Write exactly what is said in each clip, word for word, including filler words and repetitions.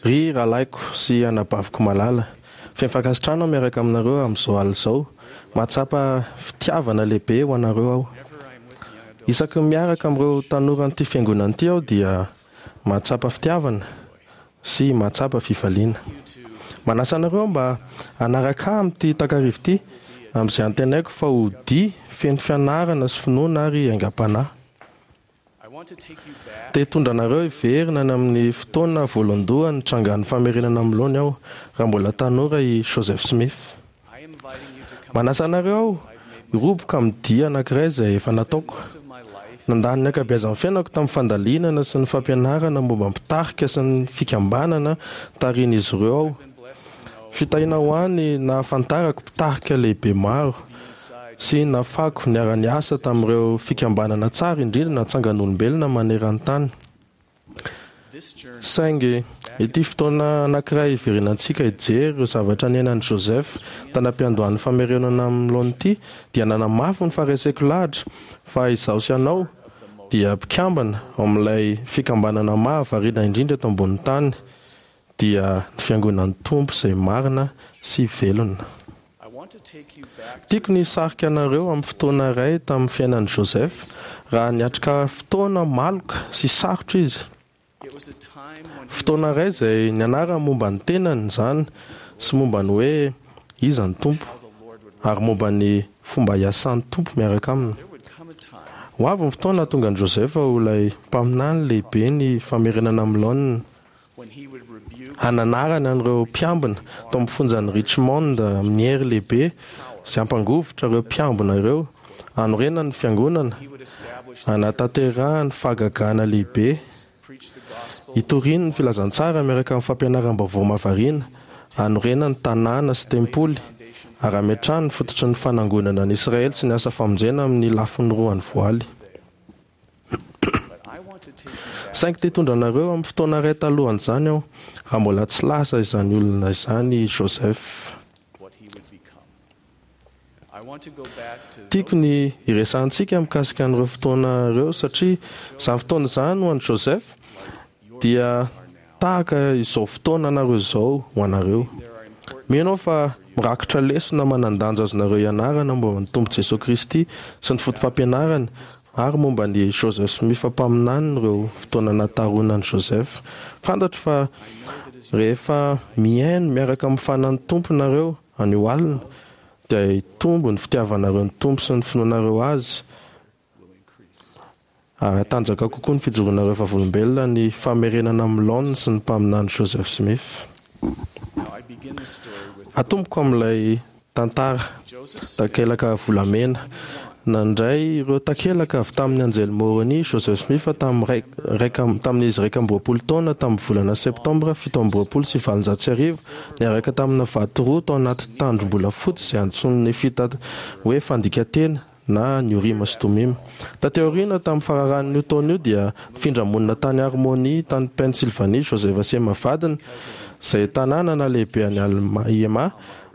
Ry rahalahiko sy anabaviko malala, feno fankasitrahana aho miaraka aminareo amin'izao alina izao. Mahatsapa fitiavana lehibe ho anareo aho. Isaky ny miaraka amin'ireo tanoran'ity fiangonana ity aho dia mahatsapa fitiavana sy mahatsapa fifaliana. Manasa anareo mba hanaraka ahy amin'ity takariva ity, amin'izay antenaiko fa ho dia feno fianarana sy finoana ary aingam-panahy. Te hitondra anareo hiverina any amin'ny fotoana voalohandohany nitrangan'ny famerenana amin'ny laoniny aho, raha mbola tanora i Joseph Smith. Manasa anareo aho hiroboka amin'ny dia anankiray izay efa nataoko. Nandany ny ankabeazan'ny fiainako tamin'ny fandalinana sy ny fampianarana momba ny mpitarika sy ny fikambanana tarihin'izy ireo aho. Fitahiana ho ahy ny nahafantarako mpitarika lehibe maro sy nahafahako niara-niasa tamin'ireo fikambanana tsara indrindra natsangan'olombelona maneran-tany. Saingy ity fotoana anankiray hiverenantsika hijery ireo zavatra niainan'i Joseph tany am-piandohan'ny famerenana amin'ny laoniny ity dia nanamafy ny fahareseko lahatra fa izaho sy ianao dia mpikambana ao amin'ilay fikambanana mahavariana indrindra eto ambonin'ny tany, dia ny fiangonan'ny Tompo izay marina sy velona. Tiako ny hisarika anareo amin'ny fotoana iray tamin'ny fiainan'i Joseph raha niatrika fotoana maloka sy sarotra izy. Fotoana iray izay nianarany momba ny tenany izany sy momba ny hoe iza ny Tompo ary momba ny fomba hiasan'ny Tompo miaraka aminy. Ho avy ny fotoana hahatonga an'i Joseph ho ilay mpaminany lehibe ny famerenana amin'ny laoniny. Hananarany an'ireo mpiambina tao amin'ny fonjan'i Richmond amin'ny hery lehibe sy hampangovitra ireo mpiambina ireo, hanorenany ny fiangonana, hanatanterahany fahagagana lehibe, hitoriany ny filazantsara miaraka amin'ny fampianaram-baovao mahavariana, hanorenany tanàna sy tempoly, ary hametrahany ny fototry ny fanangonana an'i Israely sy ny asa famonjena amin'ny lafiny roan'ny voaly. Saingy te hitondra anareo amin'ny fotoana iray talohan'izany aho, raha mbola tsy lasa izany olona izany i Joseph. Tiako ny hiresahantsika mikasika an'ireo fotoana ireo satria izany fotoana izany ho an'i Joseph dia tahaka izao fotoana anareo izao ho anareo. Mino aho fa mirakitra lesona manan-danja azonareo ianarana momba ny Tompo Jesoa Kristy sy ny fotopampianarany ary momba an'i Joseph Smith mpaminany ireo fotoana nahataroana an'i Joseph. Fantatro fa rehefa mihaino miaraka amin'ny fanan'ny Tompo nareo anio alina dia hitombo ny fitiavanareo ny Tompo sy ny finoanareo Azy ary hatanjaka kokoa ny fijoroanareo vavolombelona ny famerenana amin'ny laoniny sy ny mpaminany Joseph Smith. Atomboko amin'ilay tantara takelaka volamena. Nandray ireo takelaka avy tamin'ny anjely Moroni Joseph Smith tamin'ny iraika tamin'izy iraika amby roapolo taona tamin'ny volana septambra fito amby roapolo sy valonjato sy arivo niaraka tamina vato roa tao anaty tandrom-bolafotsy izay antsoin'ny Nefita hoe fandikanteny na ny Orima sy Tomima. Taty aoriana, tamin'ny fararan'io taona io, dia nifindra monina tany Harmony, tany Pennsylvanie, Joseph sy Emma vadiny, izay tanàna nahalehibe an'i Alma, i Emma,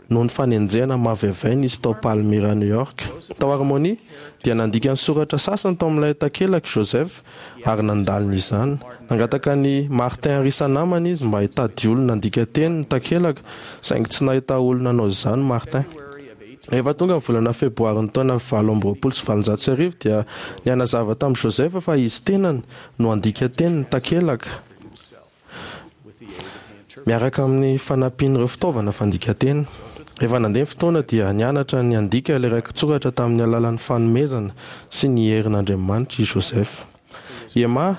noho ny fanenjehana mavaivay nisy tao Palmyra, New York. Tao Harmony, dia nandika ny soratra sasany tao amin'ilay takelaka i Joseph ary nandalina izany. Nangataka an'i Martin Harris namany izy mba hitady olona handika teny ny takelaka, saingy tsy nahita olona hanao izany Martin. Rehefa tonga ny volana Febroary ny taona valo amby roapolo sy valonjato sy arivo dia nihanazava tamin'i Joseph fa izy tenany no handika teny ny takelaka miaraka amin'ny fanampian'ireo fitaovana fandikan-teny. Rehefa nandeha ny fotoana dia nianatra ny handika ilay rakitsoratra tamin'ny alalan'ny fanomezana sy ny herin'Andriamanitra i Joseph. I Emma,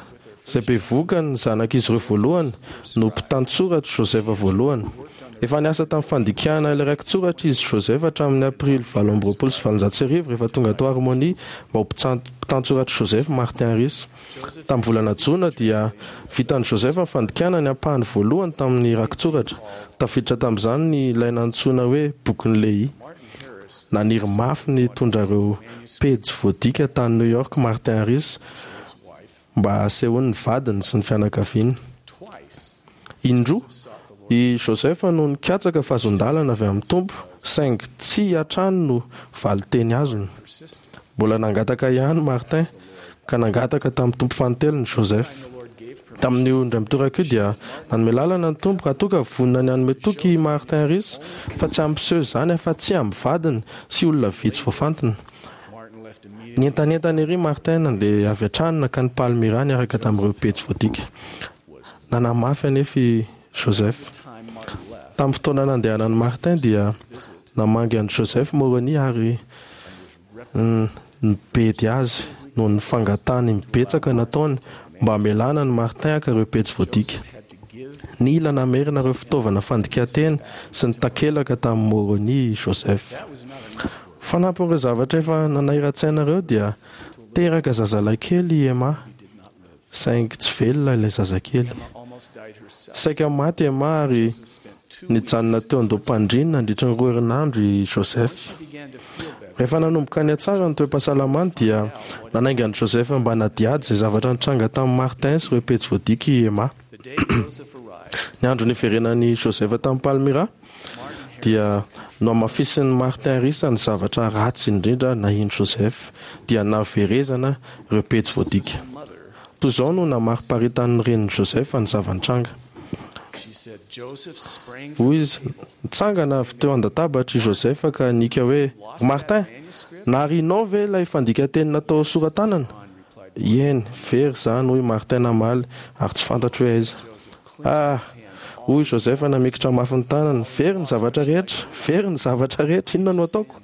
izay bevohoka ny zanak'izy ireo voalohany, no mpitantsoratr'i Joseph voalohany. Efa niasa tamin'ny fandikana ilay rakitsoratra izy Joseph hatramin'ny Aprily valo amby roapolo sy valonjato sy arivo rehefa tonga tao Harmony mba ho mpitantsoratr'i Joseph Martin Harris. Tamin'ny volana Jona dia vitan'i Joseph ny fandikana ny ampahany voalohany tamin'ny rakitsoratra. Tafiditra tamin'izany ny ilay nantsoina hoe Bokin'i Lehia. Naniry mafy ny hitondra ireo pejy voadika tany New York Martin Harris mba hasehony ny vadiny sy ny fianakaviany. Indroa i Joseph no nikatsaka fahazoan-dalana avy amin'ny Tompo, saingy tsia hatrany no valin-teny azony. Mbola nangataka ihany Martin, ka nangataka tamin'ny Tompo fanintelony Joseph. Tamin'io indray mitoraka io dia nanome lalana ny Tompo raha toa ka vonona ny hanome toky i Martin Harris fa tsy hampiseho izany afa-tsy amin'ny vadiny sy olona vitsy voafantina. Nientanentana ery Martin nandeha avy hatrany nankany Palmyra niaraka tamin'ireo pejy voadika. Nanamafy anefa i Joseph. Tamin'ny fotoana nandehanan'i Martin dia namangy an'i Joseph Moroni ary nibedy azy noho ny fangatahany mibetsaka nataony mba hamelana an'i Martin haka ireo pejy voadika. Nila namerina ireo fitaovana fandikan-teny sy ny takelaka tamin'i Moroni i Joseph. Fanampin'ireo zavatra efa nanahiran-tsaina ireo dia teraka zazalahy kely i Emma, saingy tsy velona ilay zazakely. Saika maty Emma ary nijanona teo an-doham-pandriana nandritra ny roa herinandro i Joseph. Rehefa nanomboka nihatsara ny toe-pahasalamany dia nanainga an'i Joseph mba hanadihady izay zavatra nitranga tamin'i Martin sy ireo pejy voadika i Emma. Ny andro niverenan'i Joseph tamin'i Palmyra dia nohamafisin'i Martin Harris ny zavatra ratsy indrindra nahin'i Joseph, dia nahaverezana ireo pejy voadika. Toy izao no namariparitan'ny renin'i Joseph ny zava-nitranga. Hoy izy, nitsangana avy teo an-databatra i Joseph ka nihiaka hoe, "Ry Martin, narianao ve ilay fandikan-teny natao sora-tanana?" Eny, very izany, hoy Martin namaly, ary tsy fantatro hoe aiza. Ah! Hoy Joseph namikitra mafy ny tanany, very ny zavatra rehetra, very ny zavatra rehetra, inona no ataoko?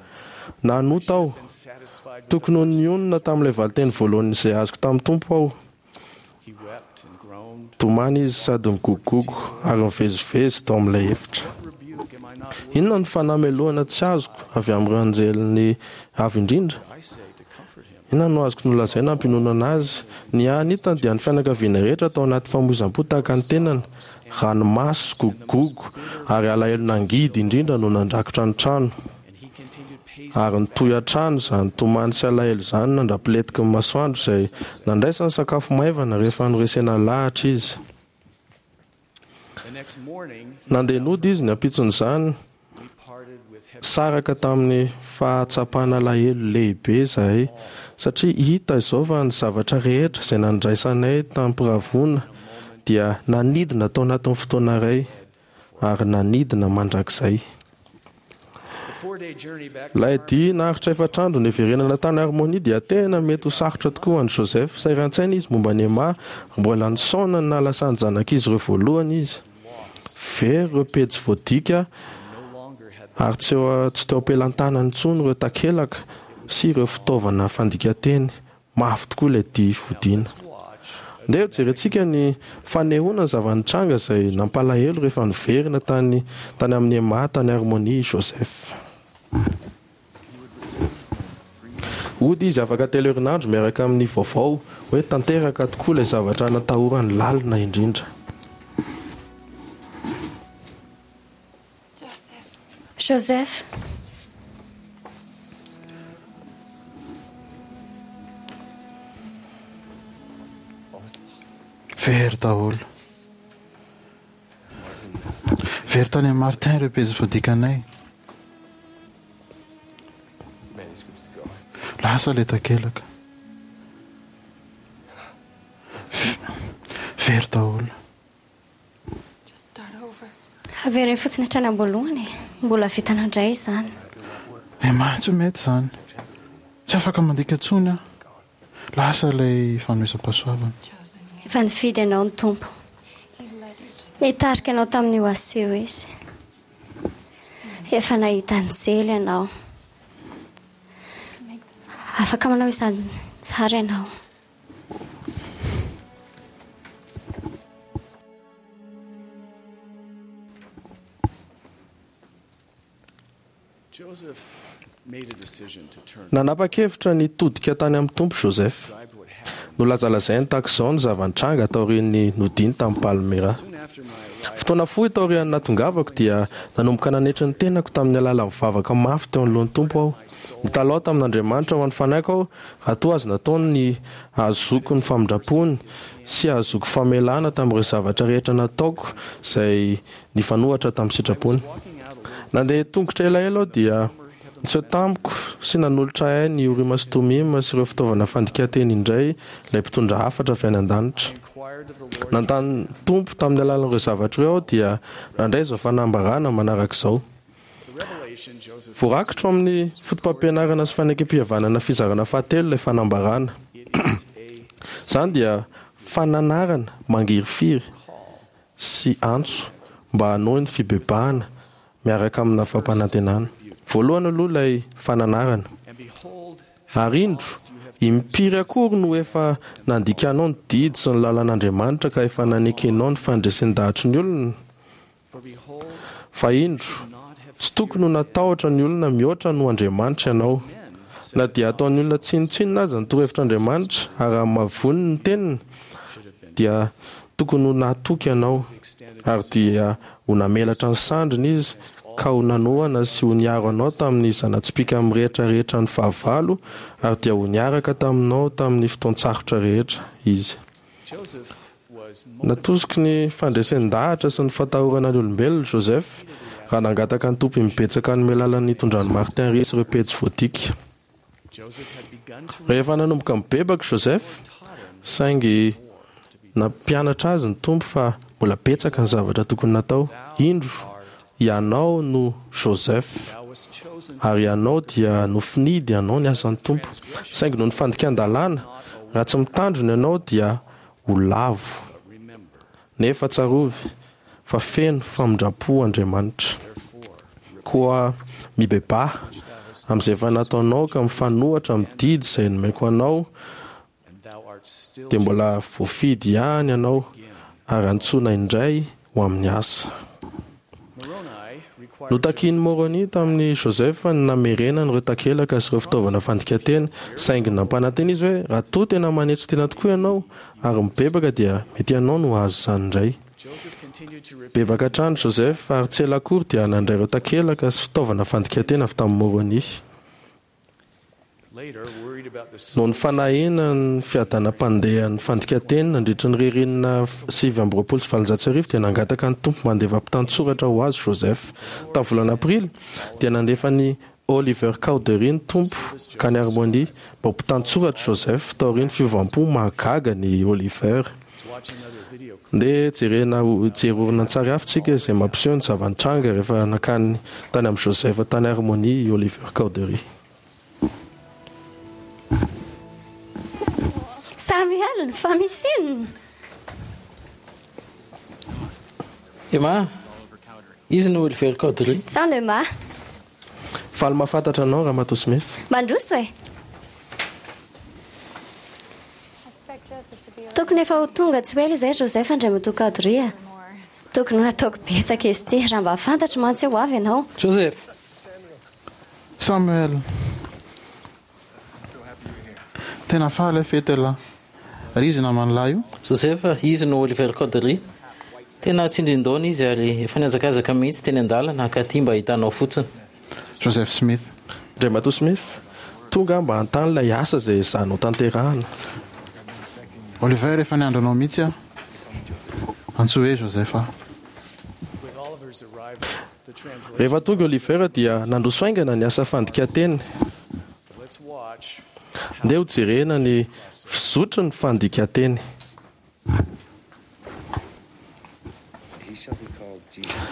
Nanota aho. Tokony ho nionona tamin'ilay valinteny voalohany izay azoko tamin'ny Tompo aho. Tomany izy sady nigogogogo ary nivezivezy tao amin'ilay efitra. Inona no fanamelohana tsy azoko avy amin'ireo anjelin'ny Avo Indrindra? Inona no azoko nolazaina hampiononana azy? Ny hany hitany dia ny fianakaviana rehetra tao anaty famoizam-po tahaka ny tenany. Ranomaso, gogogogo ary alahelo nangidy indrindra no nandrakotra ny trano. Ary nitohy hatrany izany tomany sy alahelo izany nandra-pilentiky ny masoandro izay nandraisany sakafo maivana rehefa noresena lahatra izy. Nandeha nody izy ny ampitson'izany, saraka tamin'ny fahatsapana alahelo lehibe izahay, satria hita izao fa ny zavatra rehetra izay nandraisanay tamim-piravoana dia nanidina tao anatin'ny fotoana iray ary nanidina mandrakizay. Ilay dia naharitra efatra andro niverenana tany Harmonia dia tena mety ho sarotra tokoa ho an'i Joseph. Sahiran-tsaina izy momba an'i Emma, ary mbola nisaona ny nahalasan'ny zanak'izy ireo voalohany izy. Very ireo pejy voadika ary tsy eo tsy teo am-pelantanany intsony ireo takelaka sy ireo fitaovana fandikan-teny. Mafy tokoa ilay dia fodiana. Ndeha hojerentsika ny fanehoana ny zava-nitranga izay nampalahelo rehefa niverina tany tany amin'i Emma tany Harmonia i Joseph. Hody izy afaka telo herinandro miaraka amin'ny vaovao hoe tanteraka tokoa ilay zavatra natahorany lalina indrindra. Joseph. Very daholo. Very tany amin'i Martin ireo pejy voadikanay. Lasa ilay takelaka. Very daholo. Avereno fotsiny hatrany am-boalohany e. Mbola vitanao indray izany. Emma, tsy mety izany. Tsy afaka mandika intsony aho. Lasa ilay fanomezam-pahasoavana. Efa nifidy anao ny Tompo. Nitarika anao tamin'io asa io Izy. Efa nahita anjely ianao. Afaka manao izany tsara ianao. Nanapa-kevitra ny hitodika tany amin'ny Tompo Joseph. Nolazalazainy tahaka izao ny zava-nitranga taorian'ny nodiany tamin'i Palmyra. Fotoana fohy taorian'ny nahatongavako dia nanomboka nanetry ny tenako tamin'ny alalan'ny vavaka mafy teo anoloan'ny Tompo aho. Nitalaho tamin'Andriamanitra ho an'ny fanahiko aho raha toa azo nataony ny hahazoako ny famindrampony sy hahazoako famelana tamin'ireo zavatra rehetra nataoko izay nifanohitra tamin'ny sitrapony. Nandeha tongotra elaela aho dia Niseho tamiko sy nanolotra ahy ny Orima sy Tomima sy ireo fitaovana fandikan-teny indray ilay mpitondra hafatra avy any an-danitra. Nanontany ny Tompo tamin'ny alalan'ireo zavatra ireo aho dia nandray izao fanambarana manaraka izao. Voarakitra ao amin'ny fotopampianarana sy fanekempihavanana fizarana fahatelo ilay fanambarana. Izany dia fananarana mangirifiry sy antso mba hanohy ny fibebahana miaraka amina fampanantenana. Voalohany aloha ilay fananarana. Ary indro, impiry akory no efa nandikanao ny didy sy ny lalan'Andriamanitra ka efa nanekenao ny fandresen-dahatry ny olona? Fa indro, tsy tokony ho natahotra ny olona mihoatra noho Andriamanitra ianao. Na dia ataon'ny olona tsinontsinona aza ny torohevitr'Andriamanitra ary hamavoniny ny teniny, dia tokony ho nahatoky ianao, ary dia ho namelatra ny sandriny izy ka ho nanohana sy ho niaro anao tamin'ny zana-tsipìka mirehitra rehetra ny fahavalo, ary dia ho niaraka taminao tamin'ny fotoan-tsarotra rehetra izy. Natosiky ny fandresen-dahatra sy ny fatahorana ny olombelona Joseph raha nangataka ny Tompo imbetsaka hanome lalana hitondran'i Martin Rees ireo pejy voadika. Rehefa nanomboka nibebaka Joseph, saingy nampianatra azy ny Tompo fa mbola betsaka ny zavatra tokony natao. Indro, ianao no Joseph, ary ianao dia nofinidy hanao ny asan'ny Tompo. Saingy noho ny fandikan-dalàna, raha tsy mitandrina ianao dia ho lavo. Nefa tsarovy fa feno famindram-po Andriamanitra. Koa mibebaha amin'izay efa nataonao ka mifanohitra amin'ny didy izay nomeko anao, dia mbola voafidy ihany ianao ary antsoina indray ho amin'ny asa. Notakian'i Moroni tamin'i Joseph ny namerenany ireo takelaka sy ireo fitaovana fandikan-teny, saingy nampanantena izy hoe raha toa tena manetry tena tokoa ianao ary mibebaka dia mety ianao no hahazo izany indray. Bebaka hatrany Joseph ary tsy ela akory dia nandray ireo takelaka sy fitaovana fandikan-teny avy tamin'i Moroni. Noho ny fanahiana ny fiadanam-pandehan'ny fandikan-teny nandritra ny ririnina sivy amby roapolo sy valonjato sy arivo dia nangataka ny Tompo mba handefa mpitantsoratra ho azy Joseph. Tamin'ny volana Aprily dia nandefa an'i Oliver Cowdery ny Tompo hankany Harmony mba ho mpitantsoratr'i Joseph taorian'ny fiovam-po mahagaga an'i Oliver. Ndeha jerena hijery horonantsary hafa isika izay mampiseho ny zava-nitranga rehefa nankany tany amin'i Joseph tany Harmony i Oliver Cowdery. Samuel, fa misy inona? Emma, izy no Oliver Cowdery. Salut Emma. Faly mahafantatra anao Ramatoa Smith. Mandroso e. Tokony efa ho tonga tsy ho ela izay Joseph Andriamatoa Cowdery a. Tokony ho nataoko betsaka izy ity raha mba fantatro mantsy hoe ho avy ianao. Joseph! Samuel! Tena faly aho fety elah. Ary izy naman'i lahy io? Joseph, izy no Oliver Cowdery. Tena tsindrin-daona izy ary efa nihazakazaka mihitsy teny an-dalana hankaty mba hahita anao fotsiny. Joseph Smith. Andriamatoa Smith, tonga aho mba hanontany ilay asa izay ezahanao tanterahana. Oliver, efa niandry anao mihitsy aho. Antsoy hoe Joseph aho. Rehefa tonga i Oliver dia nandroso haingana ny asa fandikan-teny. Ndeha hojerena ny fizotry ny fandikan-teny.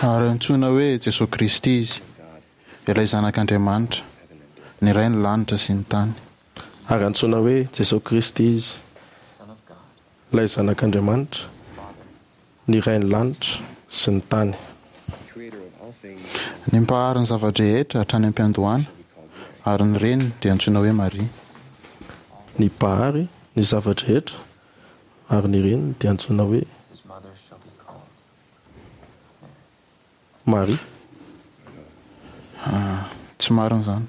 Ary antsoina hoe Jesoa Kristy Izy, ilay Zanak'Andriamanitra, ny Ray ny lanitra sy ny tany. Ary antsoina hoe Jesoa Kristy Izy, ilay Zanak'Andriamanitra, ny Ray ny lanitra sy ny tany. Ny Mpahary ny zava-drehetra hatrany am-piandohana, ary ny Reniny dia antsoina hoe Maria. Ny Mpahary ny zava-drehetra, ary ny reniny dia antsoina hoe Maria. Ah, tsy marina izany.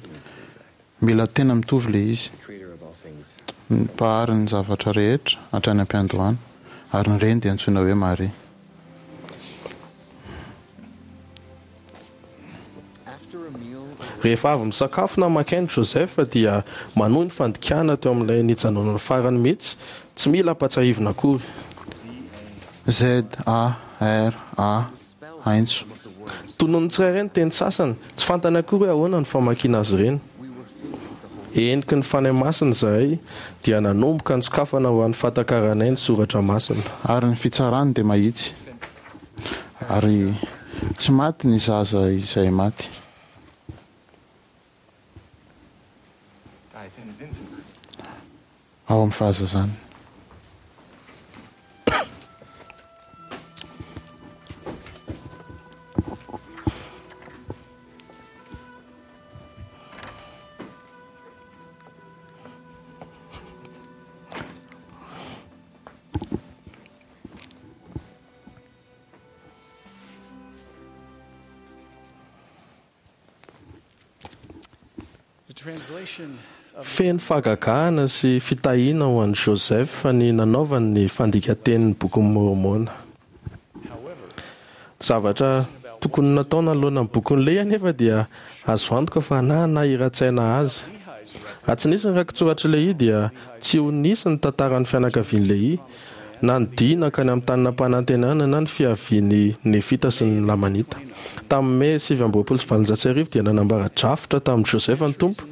Mila tena mitovy ilay izy. Ny Mpahary ny zavatra rehetra hatrany am-piandohana, ary ny reniny dia antsoina hoe Maria. Rehefa avy misakafo na maka aina Joseph dia manohy ny fandikana teo amin'ilay nijanonany farany mihitsy, tsy mila ampatsiahivina akory. Z-A-R-A, Aintso. Tonon'ny tsirairay ny teny sasany, tsy fantany akory hoe ahoana ny famakiana azy ireny. Heniky ny Fanahy Masina izahay dia nanomboka nisokafana ho an'ny fahatakaranay ny soratra masina. Ary ny fitsarany dia mahitsy, ary tsy maty ny zaza izay maty. Ao amin'ny fahazazany. Feno fahagagana sy fitahiana ho an'i Joseph ny nanaovany ny fandikan-tenin'ny Bokin'i Môrmôna. Zavatra tokony natao nanoloana ny Bokin'i Lehia anefa dia azo antoka fa nanahiran-tsaina azy. Raha tsy nisy ny rakitsoratr'i Lehia dia tsy ho nisy ny tantaran'ny fianakavian'i Lehia, na ny dia nankany amin'ny tany nampanantenana na ny fiavian'ny Nefita sy ny Lamanita. Tamin'ny Mey sivy amby roapolo sy valonjato sy arivo dia nanambara drafitra tamin'i Joseph ny Tompo,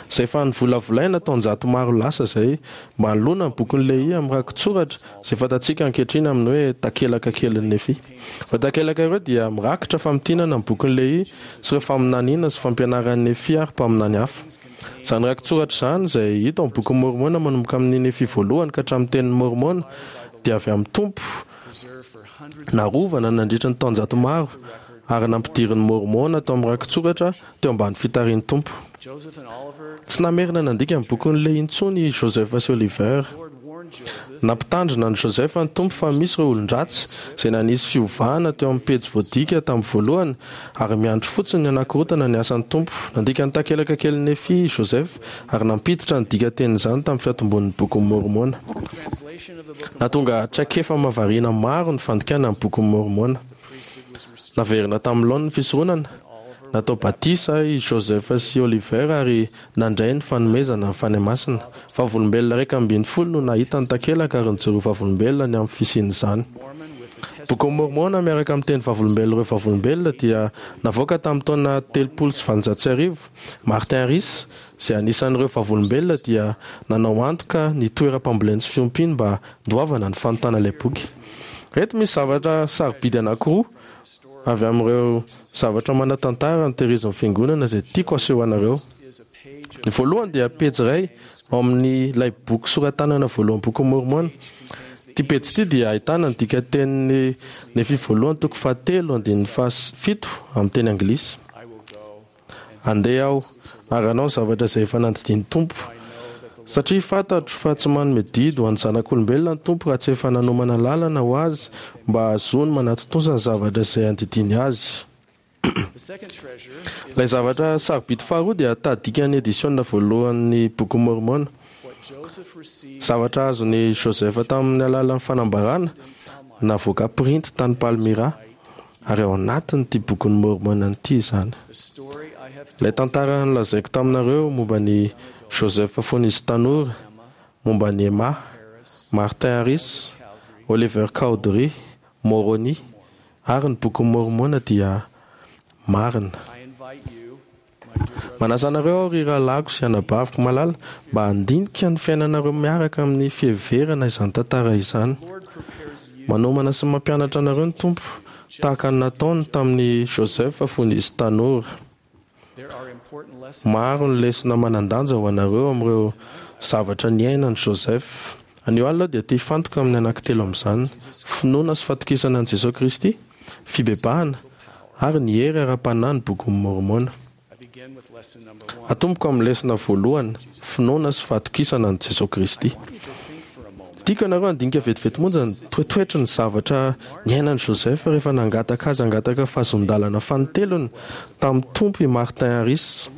izay efa novolavolaina taonjato maro lasa izay, mba hanoloana ny Bokin'i Lehia amin'ny rakitsoratra izay fantatsika ankehitriny amin'ny hoe takelaka kelin'i Nefia. Ireo takelaka ireo dia mirakitra famintinana ny Bokin'i Lehia sy ireo faminaniana sy fampianaran'i Nefia ary mpaminany hafa. Izany rakitsoratra izany, izay hita ao amin'ny Bokin'i Môrmôna manomboka amin'ny Nefia voalohany ka hatramin'ny Tenin'i Môrmôna, dia avy amin'ny Tompo, narovana nandritra ny taonjato maro, ary nampidirin'i Môrmôna tao amin'ny rakitsoratra teo ambany fitarihin'ny Tompo. Tsy namerina nandika ny Bokin'i Lehia intsony i Joseph sy Oliver. Nampitandrina an'i Joseph ny Tompo fa misy ireo olon-dratsy izay nanisy fiovana teo amin'ny pejy voadika tamin'ny voalohany ary miandry fotsiny ny hanakorontana ny asan'ny Tompo. Nandika ny takelaka kelin'i Nefia i Joseph ary nampiditra ny dikan-tenin'izany tamin'ny fiantombohan'ny Bokin'i Môrmôna. Nahatonga traikefa mahavariana maro ny fandikana ny Bokin'i Môrmôna. Naverina tamin'ny laoniny ny fisoronana, natao batisa i Joseph sy Oliver ary nandray ny fanomezana ny Fanahy Masina. Vavolombelona iraika ambin'ny folo no nahita ny takelaka ary nijoro vavolombelona ny amin'ny fisian'izany. Bokin'i Môrmôna miaraka amin'ny teny vavolombelon'ireo vavolombelona dia navoaka tamin'ny taona telopolo sy valonjato sy arivo. Martin Harris, izay anisan'ireo vavolombelona, dia nanao antoka ny toeram-pambolena sy fiompiany mba handoavana ny fanontana ilay boky. Ireto misy zavatra sarobidy anankiroa avy amin'ireo zavatra manan-tantara notehirizin'ny Fiangonana izay tiako haseho anareo. Ny voalohany dia pejy iray ao amin'ilay boky soratanana voalohan'ny Bokin'i Môrmôna. Ity pejy ity dia ahitana ny dikan-tenin'ny Nefia voalohany toko fahatelo andininy fahafito amin'ny teny anglisy. Andeha aho ary hanao ny zavatra izay efa nandidian'ny Tompo, satria fantatro fa tsy manome didy ho an'ny zanak'olombelona ny Tompo raha tsy efa nanomana lalana ho azy mba hahazoany manatontosa ny zavatra izay andidiany azy. Ilay zavatra sarobidy faharoa dia tahadikan'ny edisiona voalohan'ny Bokin'i Môrmôna. Zavatra azon'i Joseph tamin'ny alalan'ny fanambarana navoaka printy tany Palmyra, ary ao anatin'ity Bokin'i Môrmôna ity izany. Ilay tantara nolazaiko taminareo momba an'i Joseph fony izy tanora, momba an'i Emma, Martin Harris, Oliver Cowdery, Moroni, ary ny Bokin'i Môrmôna dia marina. Manasa anareo aho ry rahalahiko sy anabaviko malala mba handinika ny fiainanareo miaraka amin'ny fiheverana izany tantara izany. Manomana sy mampianatra anareo ny Tompo, tahaka ny nataony tamin'i Joseph fony izy tanora. Maro ny lesona manan-danja ho anareo amin'ireo zavatra niainan'i Joseph. Anio alina aho dia te hifantoka amin'ny anankitelo amin'izany, finoana sy fatokisana an'i Jesoa Kristy, fibebahana, ary ny hery ara-panahy ny Bokin'i Môrmôna. Atomboko amin'ny lesona voalohany, finoana sy fatokisana an'i Jesoa Kristy. Tiako ianareo handinika vetivety monja ny toetoetry ny zavatra niainan'i Joseph rehefa nangataka azy hangataka fahazoan-dalana fanintelony tamin'ny Tompo i Martin Harris.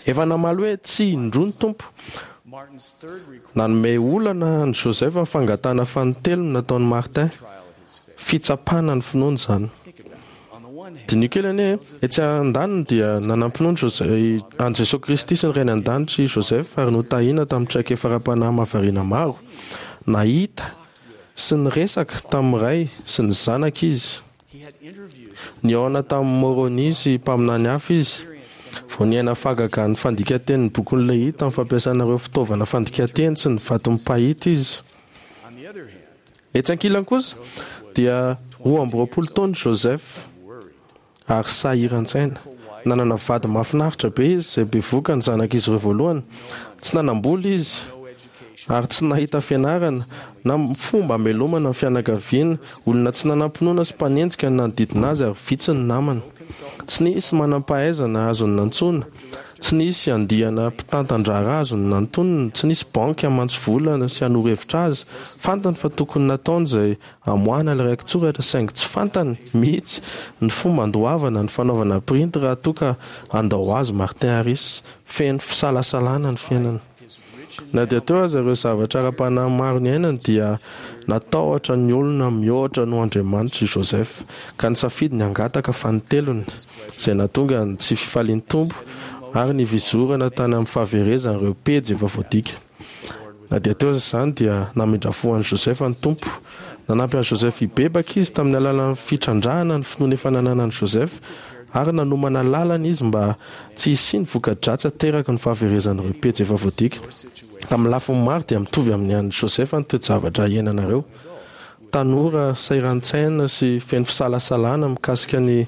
Efa namaly hoe tsia indroa ny Tompo. Nanome olana an'i Joseph ny fangatahana fanintelony nataon'i Martin. Fitsapana ny finoany izany. Diniho kely anie, etsy andaniny dia nanam-pinoana an'i Jesoa Kristy sy ny Rainy An-danitra i Joseph ary notahina tamin'ny traikefa ara-panahy mahavariana maro. Nahita sy niresaka tamin'ny Ray sy ny Zanaka izy. Nihaona tamin'i Môrônia sy mpaminany hafa izy. Vao niaina fahagagan'ny fandikan-tenin'ny bokin'i Lehia tamin'ny fampiasana ireo fitaovana fandikan-teny sy ny vaton'ny mpahita izy. Etsy ankilany kosa dia roa amby roapolo taona Joseph ary sahiran-tsaina. Nanana vady mahafinaritra be izy izay bevohoka ny zanak'izy ireo voalohany. Tsy nanam-bola izy ary tsy nahita fianarana na fomba hamelomana ny fianakaviana. Olona tsy nanam-pinoana sy mpanenjika ny nanodidina azy ary vitsy ny namana. Tsy nisy manam-pahaizana azony nantsoina, tsy nisy andiana mpitantan-draharaha azony nantonina, tsy nisy banky hamantsy vola sy hanoro hevitra azy. Fantany fa tokony nataony izay hamoahana ilay rakitsoratra, saingy tsy fantany mihitsy ny fomba handoavana ny fanaovana printy raha toa ka handao azy Martin Harris. Feno fisalasalana ny fiainana. Na dia teo aza ireo zavatra ara-panahy maro niainany dia natahotra ny olona mihoatra noho Andriamanitra i Joseph, ka nisafidy ny hangataka fanintelony, izay nahatonga ny tsy fifalian'ny Tompo ary ny fizorana tany amin'ny fahaverezana ireo pejy efa voadika. Na dia teo aza izany dia namindra fo an'i Joseph ny Tompo. Nanampy an'i Joseph hibebaka izy tamin'ny alalan'ny fitrandrahana ny finoana efa nananan'i Joseph, ary nanomana lalana izy mba tsy hisian'ny voka-dratsy ateraky ny fahaverezan'ireo pejy efa voadika. Amin'ny lafiny maro dia mitovy amin'ny an'i Joseph ny toe-javatra iainanareo. Tanora sahiran-tsaina sy feno fisalasalana mikasika ny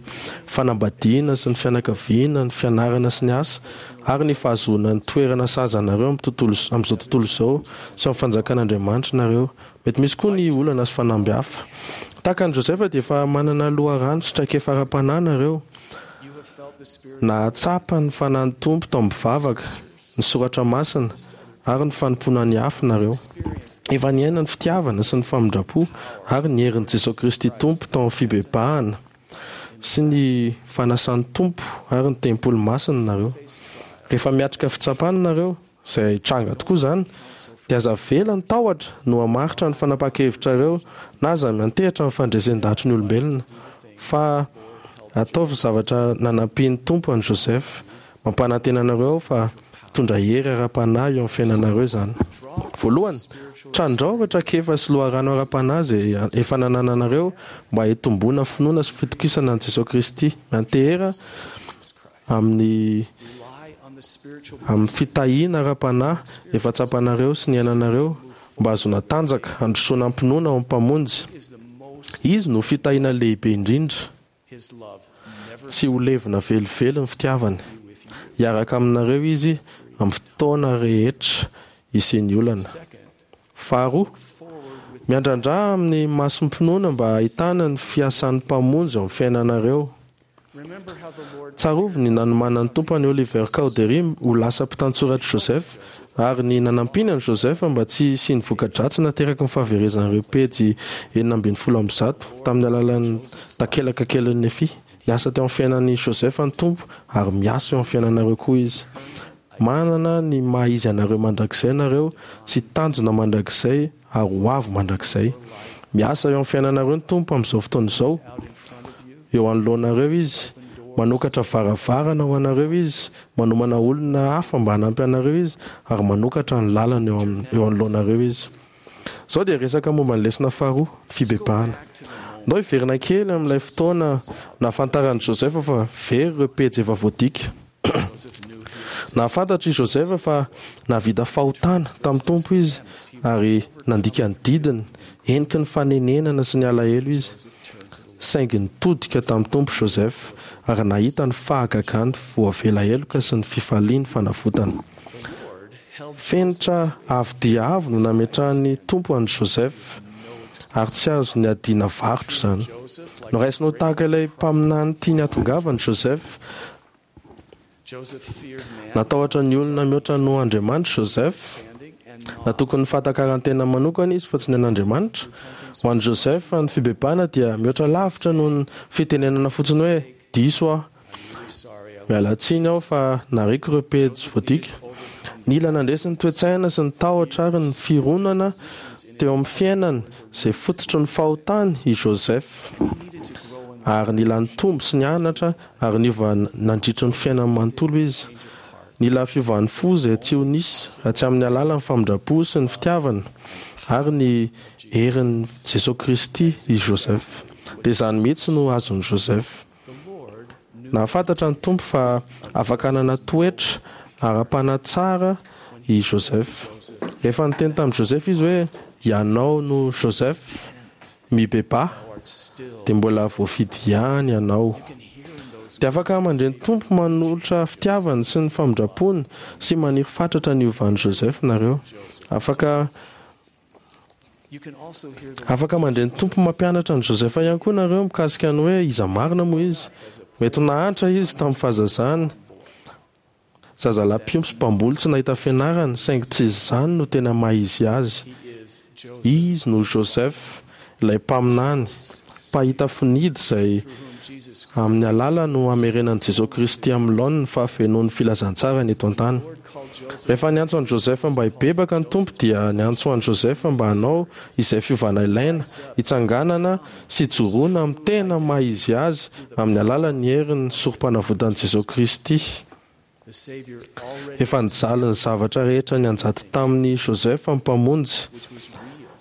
fanambadiana sy ny fianakaviana, ny fianarana sy ny asa, ary ny fahazoana ny toerana sahaza anareo amin'ny tontolo, amin'izao tontolo izao sy amin'ny fanjakan'Andriamanitra nareo. Mety misy koa ny olana sy fanamby hafa. Tahaka an'i Joseph dia efa manana loharano sy traikefa ara-panahy nareo. Nahatsapa ny fanahin'ny Tompo tao amin'ny vavaka, ny soratra masina ary ny fanompoana ny hafa nareo. Efa niaina ny fitiavana sy ny famindram-po ary ny herin'i Jesosy Kristy Tompo tao amin'ny fibebahana sy ny fanasan'ny Tompo ary ny tempoly masina nareo. Rehefa miatrika fitsapana nareo, izay tranga tokoa izany, dia aza avela ny tahotra no hamaritra ny fanapahan-kevitrareo na aza miantehitra amin'ny fandresen-dahatry ny olombelona, fa ataovy zavatra nanampian'ny Tompo an'i Joseph. Mampanantena anareo aho fa hitondra hery ara-panahy eo amin'ny fiainanareo izany. Voalohany, trandrao ireo traikefa sy loharano ara-panahy izay efa nanananareo mba hitomboana finoana sy fitokisana an'i Jesosy Kristy. Miantehera amin'ny amin'ny fitahiana ara-panahy efa tsapanareo sy niainanareo mba hahazoana tanjaka handrosoana am-pinoana ao amin'ny Mpamonjy. Izy no fitahiana lehibe indrindra. Tsy ho levona velively ny fitiavany. Hiaraka aminareo izy amin'ny fotoana rehetra hisian'ny olana. Faharoa, miandrandra amin'ny masom-pinoana mba hahitana ny fiasan'ny Mpamonjy ao amin'ny fiainanareo. Tsarovy ny nanomanan'ny Tompo an'i Oliver Cowdery ho lasa mpitantsoratr'i Joseph ary ny nanampiany an'i Joseph mba tsy hisian'ny voka-dratsy nateraky ny fahaverezan'ireo pejy enina ambin'ny folo amby zato tamin'ny alalan'ny takelaka kelin'i Nefia. Niasa teo amin'ny fiainan'i Joseph ny Tompo ary miasa eo amin'ny fiainanareo koa Izy. Manana ny maha izy anareo mandrakizay nareo sy tanjona mandrakizay ary ho avy mandrakizay. Miasa eo amin'ny fiainanareo ny Tompo amin'izao fotoana izao. Eo anoloanareo Izy, manokatra varavarana ho anareo Izy, manomana olona hafa mba hanampy anareo Izy, ary manokatra ny lalana eo amin'ny eo anoloanareo Izy. Izao dia resaka momba ny lesona faharoa, ny fibebahana. Ndao hiverina kely amin'ilay fotoana nahafantaran'i Joseph fa very ireo pejy efa voadika. Nahafantatra i Joseph fa nahavita fahotana tamin'ny Tompo izy ary nandika ny didiny, heniky ny fanenenana sy ny alahelo izy. Saingy nitodika tamin'ny Tompo Joseph ary nahita ny fahagagany voavela heloka sy ny fifaliany fanavotana. Fenitra avo dia avo no nametrahan'ny Tompo an'i Joseph ary tsy azo niadiana varotra izany. Noraisina ho tahaka ilay mpaminany tiany hahatongavana Joseph. Natahotra ny olona mihoatra noho Andriamanitra Joseph. Natoky ny fahatakaran-tena manokana izy fa tsy ny an'Andriamanitra. Ho an'i Joseph, ny fibebahana dia mihoatra lavitra noho ny fitenenana fotsiny hoe diso aho. Miala tsiny aho fa nariako ireo pejy voadika. Nila nandresy ny toe-tsaina sy ny tahotra ary ny fironana teo amin'ny fiainany izay fototry ny fahotany i Joseph. Ary nila nitombo sy nianatra ary niova nandritry ny fiainany manontolo izy. Nila fiovan'ny fo izay tsy ho nisy raha tsy amin'ny alalan'ny famindram-po sy ny fitiavana ary ny herin'i Jesosy Kristy i Joseph. Dia izany mihitsy no azon'i Joseph. Nahafantatra ny Tompo fa afaka hanana toetra ara-panahy tsara i Joseph. Rehefa niteny tamin'i Joseph izy hoe ianao no Joseph, mibebaha, dia mbola voafidy ihany ianao. Dia afaka mandre ny Tompo manolotra fitiavany sy ny famindrampony sy maniry fatratra ny hovan'i Joseph nareo. Afaka afaka mandre ny Tompo mampianatra an'i Joseph ihany koa nareo mikasika ny hoe iza marina moa izy. Mety ho nahantra izy tamin'ny fahazazany. Zazalahy mpiompy sy mpamboly tsy nahita fianarana, saingy tsy izany no tena maha izy azy. Izy no Joseph, ilay mpaminany, mpahita finidy izay amin'ny alala no hamerenan'i Jesosy Kristy amin'ny laoniny ny fahafenoan'ny filazantsarany eto an-tany. Rehefa niantso an'i Joseph mba hibebaka ny Tompo dia niantso an'i Joseph mba hanao izay fiovana ilaina, hitsanganana sy hijoroana amin'ny tena maha izy azy amin'ny alalan'ny herin'ny sorom-panavotan'i Jesosy Kristy. Efa nijaly ny zavatra rehetra nianjady tamin'i Joseph ny Mpamonjy,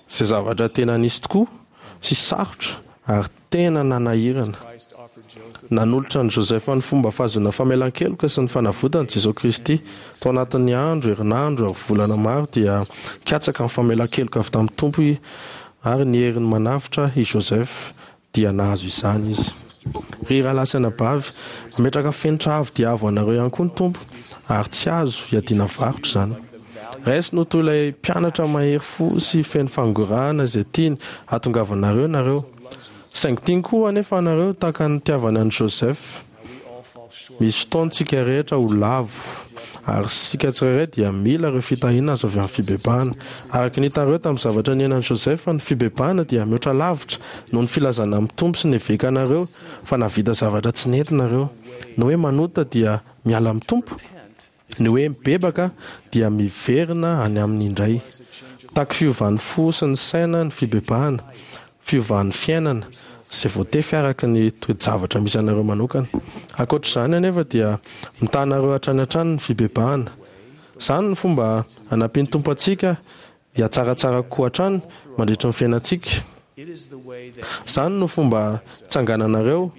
izay zavatra tena nisy tokoa sy sarotra ary tena nanahirana. Nanolotra an'i Joseph ny fomba fahazoana famelan-keloka sy ny fanavotana Jesosy Kristy. Tao anatin'ny andro, herinandro ary volana maro dia nikatsaka ny famelan-keloka avy tamin'ny Tompo ary ny heriny manavotra i Joseph dia nahazo izany izy. Ry rahalahy sy anabavy, mametraka fenitra avo dia avo anareo ihany koa ny Tompo ary tsy azo iadiana varotra izany. Raisiny ho toy ilay mpianatra mahery fo sy feno fangorahana izay tiany hahatongavanareo nareo. Saingy tiany koa anefa anareo tahaka ny nitiavany an'i Joseph. Misy fotoantsika rehetra ho lavo ary isika tsirairay dia mila ireo fitahiana azo avy amin'ny fibebahana. Araka ny hitanareo tamin'ny zavatra niainan'i Joseph, ny fibebahana dia mihoatra lavitra noho ny filazana amin'ny Tompo sy ny evekanareo fa nahavita zavatra tsy nety nareo. Ny hoe manota dia miala amin'ny Tompo. Ny hoe mibebaka dia miverina any aminy indray. Mitaky fiovan'ny fo sy ny saina ny fibebahana, fiovan'ny fiainana izay voatefy araka ny toe-javatra misy anareo manokana. Ankoatra izany anefa dia mitaha anareo hatrany hatrany ny fibebahana. Izany no fomba hanampian'ny Tompo antsika hihatsaratsara kokoa hatrany mandritra ny fiainantsika. Izany no fomba hitsangananareo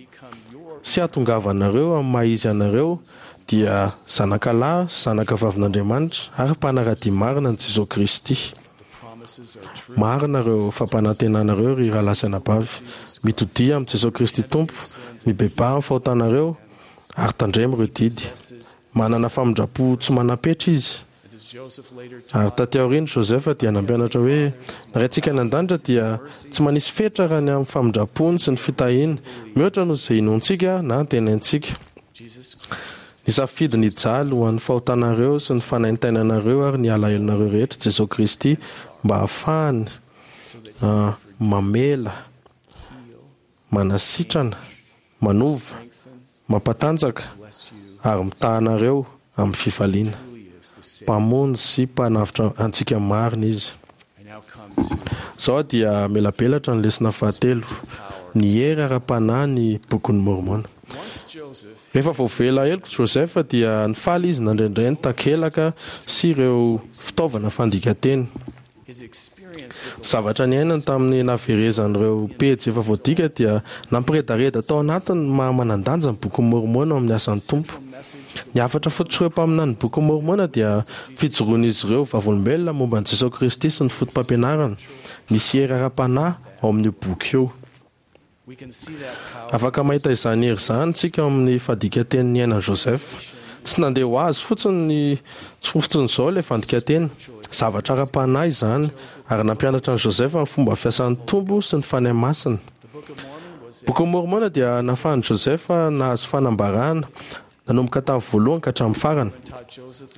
sy hahatongavanareo amin'ny maha izy anareo dia zanakalahy sy zanakavavin'Andriamanitra ary mpanara-dia marina an'i Jesosy Kristy. Marina ireo fampanantenanareo ry rahalahy sy anabavy. Mitodia amin'i Jesosy Kristy Tompo, mibebaha amin'ny fahotanareo ary tandremo ireo didy. Manana famindram-po tsy manam-petra izy. Ary taty aoriana Joseph dia nampianatra hoe ny Raintsika any an-danitra dia tsy manisy fetra raha ny amin'ny famindram-pony sy ny fitahiany, mihoatra noho izay inoantsika na antenaintsika. Nisafidy ny hijaly ho an'ny fahotanareo sy ny fanaintainanareo ary ny alahelonareo rehetra Jesosy Kristy mba hahafahany mamela, manasitrana, manova, mampatanjaka ary mitaha anareo amin'ny fifaliana. Mpamonjy sy mpanavotra antsika marina izy. Izao dia melabelatra ny lesona fahatelo, ny hery ara-panahy ny Bokin'i Môrmôna. Rehefa voavela heloka Joseph dia nifaly izy nandraindray ny takelaka sy ireo fitaovana fandikanteny. Zavatra niainany tamin'ny nahaverezan'ireo pejy efa voadika dia nampiredareda tao anatiny ny maha manan-danja ny Bokin'i Môrmôna ao amin'ny asan'ny Tompo. Ny hafatra fototr'ireo mpaminan'ny Bokin'i Môrmôna dia fijoroan'izy ireo vavolombelona momba an'i Jesosy Kristy sy ny foto-pampianarany. Misy hery ara-panahy ao amin'io boky io. Afaka mahita izany hery izany isika ao amin'ny fandikanteny niainan'i Joseph. Tsy nandeha ho azy fotsiny ny tsy fotsiny izao ilay fandikanteny. Zavatra ara-panahy izany ary nampianatra an'i Joseph ny fomba fiasan'ny Tompo sy ny Fanahy Masina. Bokin'i Môrmôna dia nahafahan'i Joseph nahazo fanambarana nanomboka tamin'ny voalohany ka hatramin'ny farany.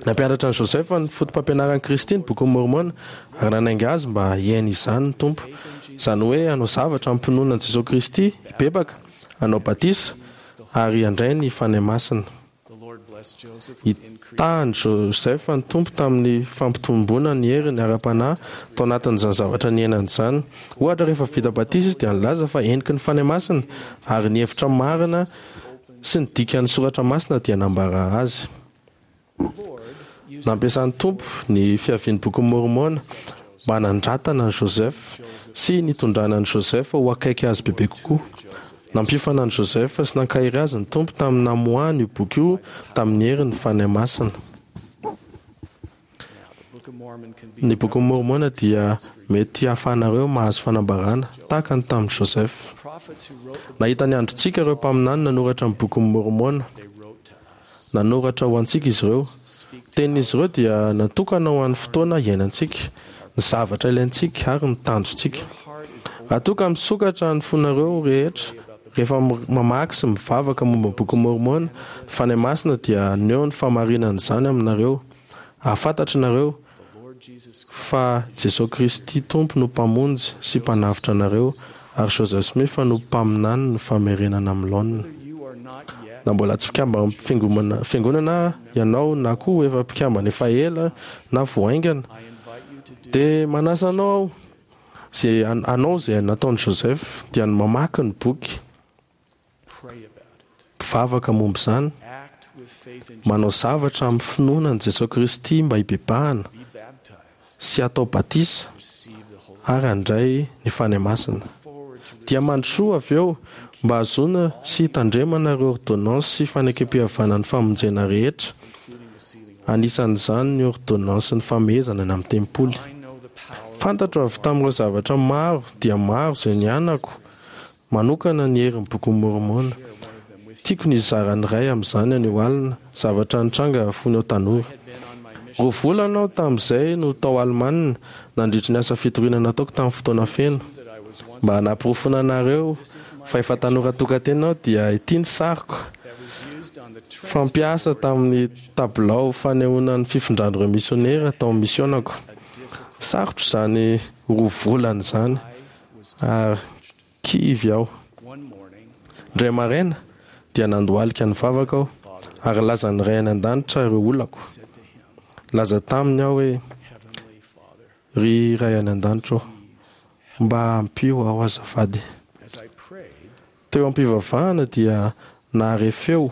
Nampianatra an'i Joseph ny foto-pampianaran'i Kristy ny Bokin'i Môrmôna ary nanainga azy mba hiaina izany ny Tompo. Izany hoe hanao zavatra am-pinoana an'i Jesosy Kristy, hibebaka, hanao batisa ary handray ny Fanahy Masina. Nitaha an'i Joseph ny Tompo tamin'ny fampitomboana ny heriny ara-panahy tao anatin'izany zavatra niainany izany. Ohatra, rehefa vita batisa izy dia nilaza fa heniky ny Fanahy Masina ary ny hevitra marina sy ny dikan'ny soratra masina dia nambara azy. Nampiasan'ny Tompo ny fiavian'ny Bokin'i Môrmôna mba hanandratana an'i Joseph sy nitondrana an'i Joseph ho akaiky azy bebe kokoa. Nampiofana an'i Joseph sy nankahery azy ny Tompo tamin'ny namoahany io boky io tamin'ny herin'ny Fanahy Masina. Ny Bokin'i Môrmôna dia mety hahafahanareo mahazo fanambarana tahaka ny tamin'i Joseph. Nahita ny androntsika ireo mpaminany nanoratra ny Bokin'i Môrmôna. Nanoratra ho antsika izy ireo. Tenin'izy ireo dia natokana ho an'ny fotoana iainantsika, ny zavatra ilaintsika ary ny tanjontsika. Raha toa ka misokatra ny fonareo rehetra rehefa mamaky sy mivavaka momba ny Bokin'i Môrmôna, ny Fanahy Masina dia haneho ny fahamarinan'izany aminareo. Hahafantatra nareo fa Jesosy Kristy Tompo no Mpamonjy sy Mpanavotra anareo, ary Joseph Smith no mpaminany ny famerenana amin'ny laoniny. Na mbola tsy mpikambana fiangonana, fiangonana ianao na koa efa mpikambana efa ela na vao haingana, dia manasa anao aho izay anao izay nataon'i Joseph dia ny mamaky ny boky, mpivavaka momba izany, manao zavatra amin'ny finoana an'i Jesosy Kristy mba hibebahana sy hatao batisa ary handray ny Fanahy Masina. Dia mandrosoa avy eo mba hahazoana sy hitandremana ireo ordonnance sy fanekempihavanan'ny famonjena rehetra, anisan'izany ny ordonnance ny famehezana any amin'ny tempoly. Fantatro avy tamin'ireo zavatra maro dia maro izay nianako manokana ny herin'ny Bokin'i Môrmôna. Tiako ny hizara ny iray amin'izany anio alina, zavatra nitranga fony aho tanora. Roa volana aho tamin'izay no tao Alemana nandritry ny asa fitoriana nataoko tamin'ny fotoana feno. Mba hanaporofoana anareo fa efa tanora tokantena aho dia ity ny sariko fampiasa tamin'ny tabilao fanehoana ny fifindran'ireo misionera tao amin'ny misionako. Sarotra izany roa volana izany ary kivy aho. Indray maraina dia nandohalika nivavaka aho ary nilaza ny Ray any an-danitra ireo olako. Nilaza taminy aho hoe, Ry Ray any an-danitra ô, mba ampio aho azafady. Teo am-pivavahana dia nahare feo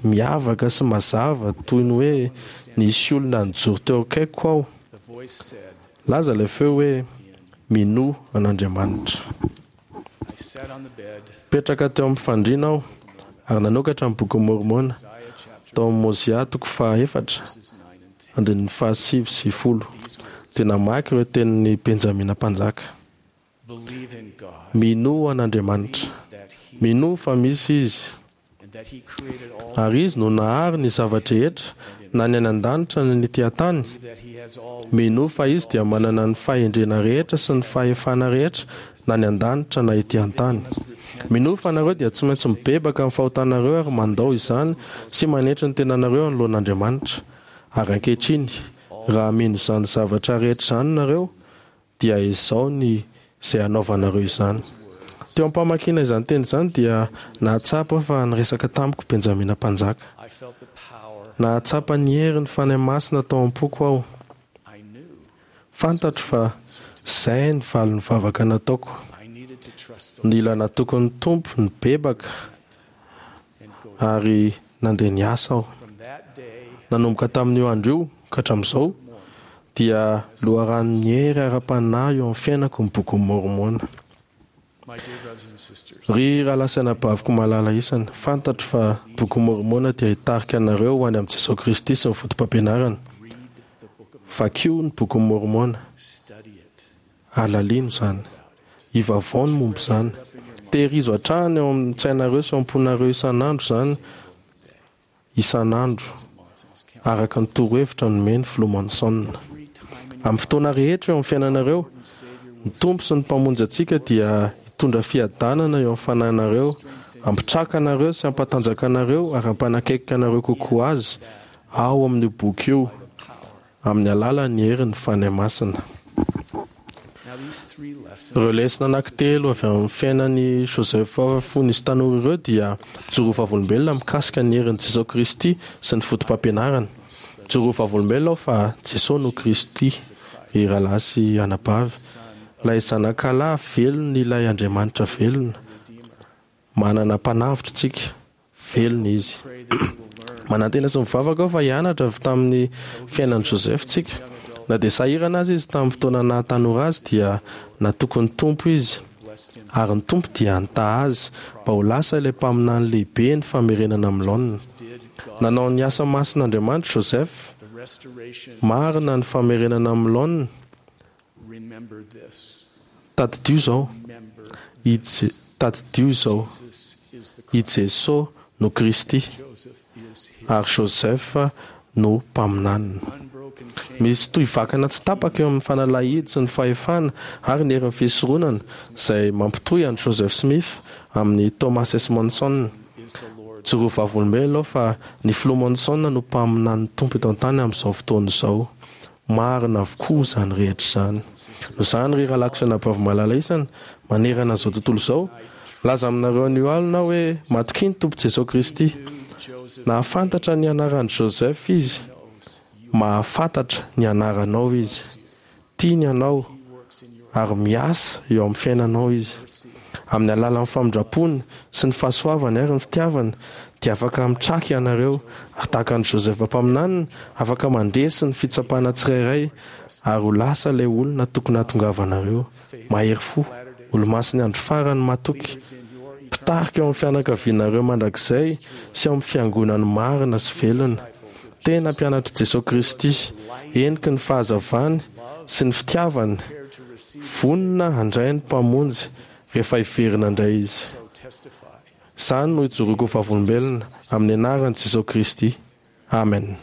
miavaka sy mazava toy ny hoe nisy olona nijoro teo akaikiko aho. Nilaza ilay feo hoe, Minoa an'Andriamanitra. Nipetraka teo amin'ny fandriana aho ary nanokatra ny Bokin'i Môrmôna tao amin'ny Môzià toko fahaefatra, andininy fahasivy sy folo, dia namaky ireo tenin'i Benjamina Mpanjaka. Minoa an'Andriamanitra. Minoa fa misy Izy. Ary Izy no nahary ny zava-drehetra, na ny any an-danitra na ny ety an-tany. Minoa fa Izy dia manana ny fahendrena rehetra sy ny fahefana rehetra, na ny an-danitra na ety an-tany. Minoa fa nareo dia tsy maintsy mibebaka amin'ny fahotanareo ary mandao izany sy manetry ny tenanareo anoloan'Andriamanitra. Ary ankehitriny, raha mino izany zavatra rehetra izany nareo, dia izao ny izay hanaovanareo izany. Teo am-pamakiana izany teny izany dia nahatsapa fa niresaka tamiko Benjamina Mpanjaka. Nahatsapa ny herin'ny Fanahy Masina tao am-poko aho. Fantatro fa izay ny valin'ny vavaka nataoko. Nila natoky ny Tompo nibebaka ary nandeha niasa aho. Nanomboka tamin'io andro io ka hatramin'izao dia loharanon'ny hery ara-panahy eo amin'ny fiainako ny Bokin'i Môrmôna. Ry rahalahy sy anabaviko malala isany, fantatro fa ny Bokin'i Môrmôna dia hitarika anareo ho any amin'i Jesoa Kristy sy ny fotopampianarany. Vakio ny Bokin'i Môrmôna. Halalino izany. Ivavao ny momba izany. Tehirizo hatrany ao amin'ny tsainareo sy ao am-ponareo isan'andro izany, isan'andro, araka ny torohevitra nomen'ny Filoha Monson. Amin'ny fotoana rehetra eo amin'ny fiainanareo, ny Tompo sy ny Mpamonjy antsika dia hitondra fiadanana eo amin'ny fanahinareo, hampitraka anareo sy hampatanjaka anareo ary hampanakaiky anareo kokoa Azy ao amin'io boky io. Amin'ny alalan'ny herin'ny Fanahy Masina. Ireo lesona anankitelo avy amin'ny fiainan'i Joseph fony izy tanora ireo dia mijoro ho vavolombelona mikasika ny herin'i Jesoa Kristy sy ny fotopampianarany. Mijoro ho vavolombelona aho fa Jesoa no Kristy, ry rahalahy sy anabavy, ilay Zanakalahy velon'ilay Andriamanitra velona. Manana Mpanavotra isika, velona Izy. Manantena sy mivavaka aho fa hianatra avy tamin'ny fiainan'i Joseph isika. Na dia sahirana aza izy tamin'ny fotoana naha tanora azy dia natoky ny Tompo izy. Ary ny Tompo dia nitahy azy mba ho lasa ilay mpaminany lehibe ny famerenana amin'ny laonina. Nanao ny asa masin'Andriamanitra Joseph. Marina ny famerenana amin'ny laonina. Tadidio izao. I Je- Tadidio izao. I Jesoa no Kristy ary Joseph no mpaminaniny. Misy tohivakana tsy tapaka eo amin'ny fanalahidy sy ny fahefana ary ny herin'ny fisoronana izay mampitohy an'i Joseph Smith amin'ny Thomas S. Monson. Joro vavolombelona aho fa ny filoha Monson no mpaminan'ny Tompo eto an-tany amin'izao fotoana izao. Marina avokoa izany rehetra izany. Noho izany ry rahalahy sy anabavy malala isany manerana an'izao tontolo izao, milaza aminareo anio alina aho hoe matokia ny Tompo Jesoa Kristy. Nahafantatra ny anaran'i Joseph izy. Mahafantatra ny anaranao izy. Tiany ianao ary miasa eo amin'ny fiainanao izy. Amin'ny alalan'ny famindrampony sy ny fahasoavany ary ny fitiavany dia afaka mitraka ianareo ary tahaka an'i Joseph mpaminaniny afaka mandresy ny fitsapana tsirairay ary ho lasa ilay olona tokony hahatongavanareo. Mahery fo, olomasin'ny andro farany matoky, mpitarika eo amin'ny fianakavianareo mandrakizay sy ao amin'ny fiangonany marina sy velona. Tena mpianatr'i Jesoa Kristy, heniky ny fahazavany sy ny fitiavany, vonona handray ny Mpamonjy rehefa hiverina indray izy. Izany no ijoroako ho vavolombelona amin'ny anaran'i Jesoa Kristy. Amen.